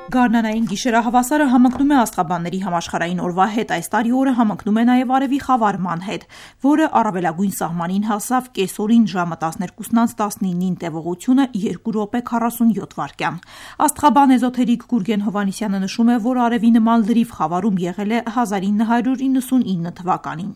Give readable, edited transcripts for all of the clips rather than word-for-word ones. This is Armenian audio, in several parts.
Գարնանային գիշերահավասարը համընկնում է Աստղաբանների համաշխարհային օրվա հետ, այս տարի օրը համընկնում է նաև արևի խավարման հետ, որը առավելագույն սահմանին հասավ կեսօրին ժամը 12:19-ին տևողությունը 2 րոպե 47 վայրկյան։ Աստղաբան էզոթերիկ Գուրգեն Հովհաննիսյանը նշում է, որ արևի նման լրիվ խավարում եղել է 1999 թվականին։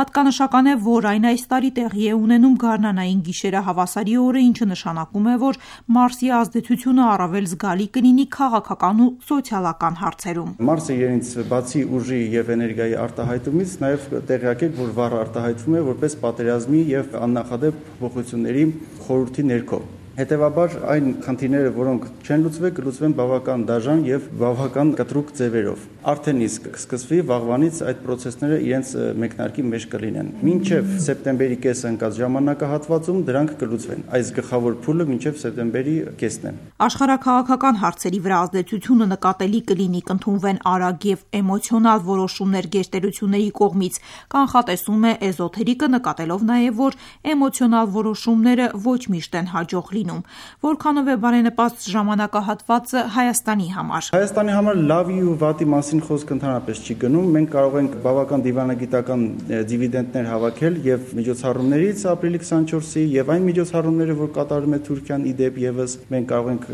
Հատկանշական է, որ այն այս տարի տեղի է ունենում գարնանային գիշերահավասարի օրը, ինչը նշանակում է, որ Մարսի ազդեցությունը առավել զգալի կլինի քաղաքական ու սոցիալական հարցերում։ Մարսը իրենից բացի ուժի եւ էներգիայի արտահայտումից նաեւ տեղյակ է, որ վառ արտահայտվում է որպես պատերազմի եւ աննախադեպ փոփոխությունների խորհրդի ներքո։ Հետևաբար այն խնդիրները, որոնք չեն լուծվել, կլուծվեն բավական դաժան եւ բավական կտրուկ ձևերով։ Արդեն իսկ կսկսվի վաղվանից այդ process-ները իրենց մեկնարկի մեջ կլինեն։ Մինչեւ սեպտեմբերի կեսը ընկած ժամանակահատվածում դրանք կլուծվեն։ Այս գլխավոր փուլը մինչեւ սեպտեմբերի կեսն է։ Աշխարհաքաղաքական հարցերի վրա ազդեցությունը նկատելի կլինի, կընդունվեն արագ եւ էմոցիոնալ որոշումներ գերտերությունների կողմից, կանխատեսում է էզոթերիկը, նկատելով նաեւ, որ էմոցիոնալ որոշումները ոչ միշտ են հաջող լինում։ Որքանով է բարենպաստ ժամանակահատվածը Հայաստանի համար։ Հայաստանի համար լավի ու վատի մասին խոսքը ընդհանրապես չի գնում։ Մենք կարող ենք բավական դիվանագիտական դիվիդենդներ հավաքել եւ միջոցառումներից ապրիլի 24-ի եւ այն միջոցառումները, որ կատարում է Թուրքիան իդեպ եւս մենք կարող ենք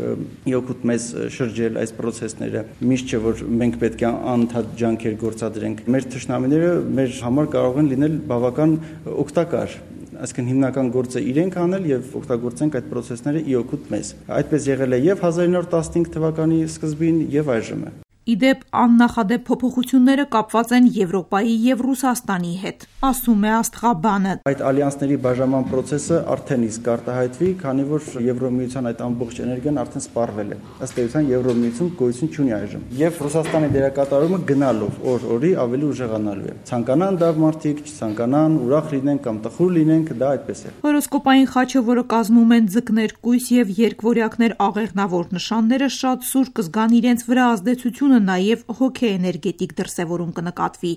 իօգուտ մեզ շրջել այս process-ները։ Միշտ չէ, որ մենք պետք է անընդհատ ջանքեր գործադրենք։ Մեր թշնամիները մեր համար կարող են լինել բավական օգտակար։ Այսինքն հիմնական գործը իրենք անել եւ օգտագործենք այդ process-ները իօգուտ մեզ։ Այդպես եղել է եւ 1915 թվականի սկզբին եւ այժմ է։ Իդեպ աննախադեպ փոփոխությունները կապված են Եվրոպայի եւ Ռուսաստանի հետ, ասում է Աստղաբանը։ Այդ ալյանսների բաժանման process-ը արդեն իսկ արտահայտվի, քանի որ Եվրոմիության այդ ամբողջ էներգիան արդեն սպառվել է։ Ըստ էության Եվրոմիություն գոյություն չունի այժմ։ Եվ Ռուսաստանի դերակատարումը գնալով օր-օրի ավելի ուժեղանալու է։ Ցանկանան դա մարդիկ, չցանկանան, ուրախ լինեն կամ տխուր լինենք, դա այդպես է։ Հորոսկոպային խաչը, որը կազմում են ձկներ, կույս եւ երկվորյակներ աղեղնավոր նշանները, շատ սուր կզգան իրենց վրա ազդեցություն նաև հոգեէներգետիկ դրսևորում կնկատվի։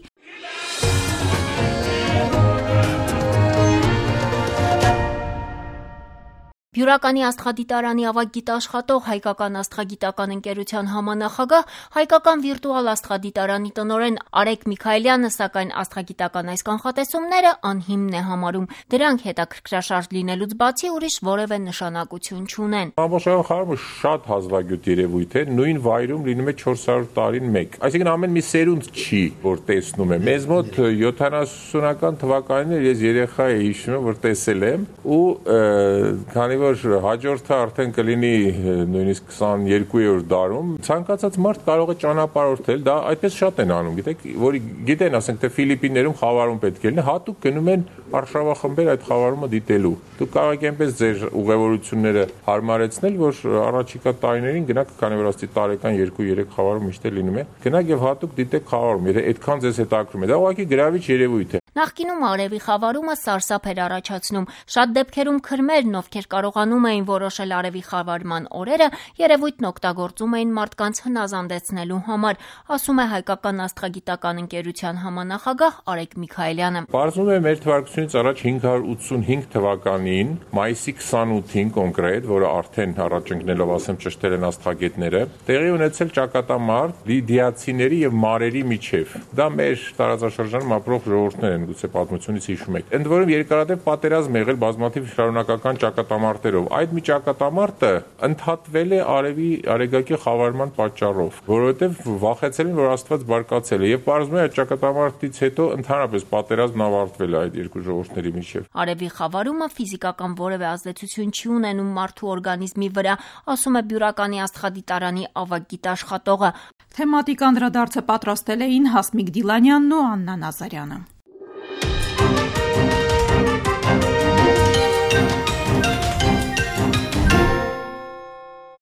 Բյուրականի աստղադիտարանի ավագ գիտաշխատող Հայկական աստղագիտական ընկերության համանախագահ, Հայկական վիրտուալ աստղադիտարանի տնօրեն Արեգ Միքայելյանը, սակայն աստղագիտական այս կանխատեսումները անհիմն է համարում, դրանք հետաքրքրաշարժ լինելուց բացի ուրիշ որևէ նշանակություն չունեն։ Ամբողջական խավարումը շատ հազվագյուտ երևույթ է, նույն վայրում լինում է 400 տարին մեկ։ Այսինքն ամեն մի սերունդ չի, որ տեսնում է։ Մեզ մոտ 70-ական թվականին ես երեխա էի, հիշում եմ, որ տեսել եմ ու քանի որ հաջորդը արդեն կլինի նույնիսկ 22-րդ դարում, ցանկացած մարդ կարող է ճանապարհորդել, դա այդպես շատ են անում, գիտեք, որի գիտեն, ասենք թե Ֆիլիպիններում խավարում պետք է լինի, հատուկ գնում են արշավախմբեր այդ խավարումը դիտելու։ Դուք կարող եք այնպես ձեր ուղևորությունները հարմարեցնել, որ առաջիկա տարիներին գնաք, քանի որ աստի տարեկան 2-3 խավարում միշտ լինում է, գնաք եւ հատուկ դիտեք խավարում, եթե այդքան ձեզ հետաքրքրում է։ Դա ուղղակի գրավիչ երևույթ է։ Նախկինում արևի խավարումը սարսափ էր առաջացնում։ Շատ դեպքերում քրմերն, ովքեր կարողանում էին որոշել արևի խավարման օրերը, երևույթն օգտագործում էին մարդկանց հնազանդեցնելու համար, ասում է Հայկական աստղագիտական ընկերության համանախագահ Արեգ Միքայելյանը։ Պարզվում է մեր թվարկությունից առաջ 585 թվականին, մայիսի 28-ին կոնկրետ, որը արդեն առաջ ընկնելով ասեմ ճշտել են աստղագետները, տեղի ունեցել ճակատամարտ լիդիացիների եւ մարերի միջև։ Դա մեր տարածաշրջանում ապրող ժողովուրդներ են, գուցե պատմությունից հիշում եք։ Ընդ որում երկարատև պատերազմ եղել բազմաթիվ շարունակական ճակատամարտերով։ Այդ մի ճակատամարտը ընդհատվել է արևի արեգակի խավարման պատճառով, որովհետև վախեցել են, որ Աստված բարկացել է, եւ պարզվում է այդ ճակատամարտից հետո ընդհանրապես պատերազմն ավարտվել է այդ երկու ժողովուրդների միջև։ Արևի խավարումը ֆիզիկական որևէ ազդեցություն չի ունենում մարդու օրգանիզմի վրա, ասում է Բյուրականի աստղադիտարանի ավագ գիտաշխատողը։ Թեմատիկ անդրադարձը պատրաստել էին Հասմիկ Դիլանյանն ու Աննա Նազարյանը։